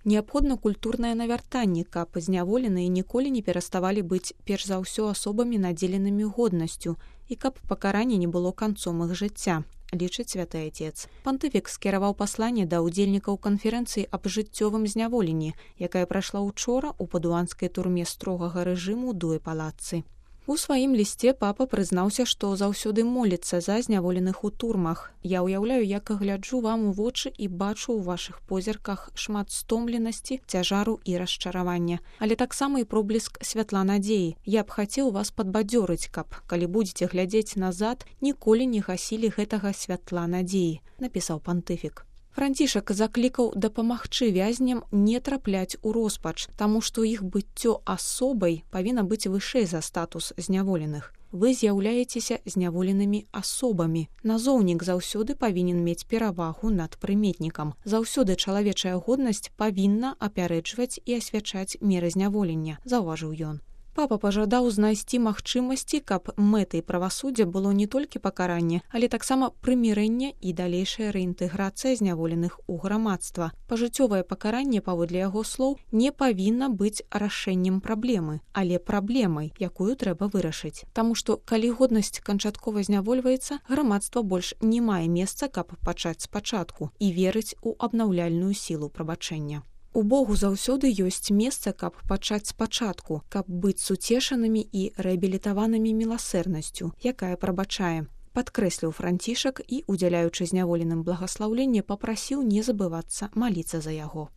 Неабходна культурнае навяртанне, каб зняволеныя ніколі не пераставалі быць перш за ўсё асобамі, надзеленымі годнасцю, і каб пакаранне не было канцом іх жыцця, лічыць святы Отец. Пантыфік скіраваў пасланне да ўдзельнікаў канферэнцыі аб жыццёвым зняволенні, якая прайшла ўчора ў падуанскай турме строгага рэжыму Дуэ-Палаццы. У сваім лісце папа прызнаўся, што заўсёды моліцца за зняволеных у турмах. Я ўяўляю, як гляджу вам у вочы і бачу ў вашых позірках шмат стомленасці, цяжару і расчаравання, але таксама і пробліск святла надзеі. Я б хацеў вас падбадзёрыць, каб, калі будзеце глядзець назад, ніколі не гасілі гэтага святла надзеі, напісаў пантыфік. Францішак заклікаў дапамагчы вязням не трапляць у роспач, таму што іх быццё асобай павінна быць вышэй за статус зняволеных. Вы з'яўляецеся зняволенымі асобамі. Назоўнік заўсёды павінен мець перавагу над прыметнікам. Заўсёды чалавечая годнасць павінна апярэджваць і асвячаць меры зняволення, заўважыў ён. Папа пажадаў знайсці магчымасці, каб мэтай правасуддзя было не толькі пакаранне, але таксама прымірэнне і далейшая рэінтэграцыя зняволеных у грамадства. Пажыццёвае пакаранне, паводле яго слоў, не павінна быць рашэннем праблемы, але праблемай, якую трэба вырашыць. Таму што, калі годнасць канчаткова знявольваецца, грамадства больш не мае месца, каб пачаць спачатку і верыць у абнаўляльную сілу прабачэння. У Богу заўсёды ёсць месца, каб пачаць спачатку, каб быць суцешанымі і рэабілітаванымі міласэрнасцю, якая прабачае. Падкрэсліў Францішак і, удзяляючы зняволеным благаслаўленне, папрасіў не забывацца маліцца за яго.